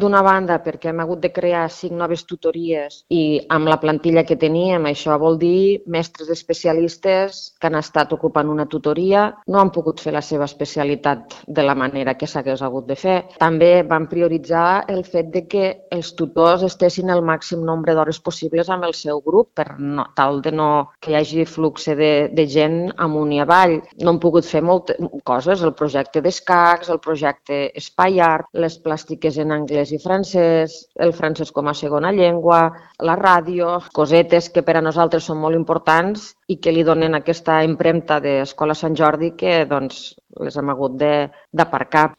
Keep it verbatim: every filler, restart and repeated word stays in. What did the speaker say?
D'una banda, perquè hem hagut de crear cinc noves tutories i amb la plantilla que teníem, això vol dir mestres especialistes que han estat ocupant una tutoria, no han pogut fer la seva especialitat de la manera que s'hagués hagut de fer. També vam prioritzar el fet de que els tutors estessin el màxim nombre d'hores possibles amb el seu grup per no, tal de no que hi hagi flux de, de gent amunt i avall. No hem pogut fer moltes coses, el projecte d'escacs, el projecte Espai Art, les plàstiques en anglès i francès, el francès com a segona llengua, la ràdio, cosetes que per a nosaltres són molt importants i que li donen aquesta empremta d'Escola Sant Jordi que doncs, les hem hagut d'aparcar.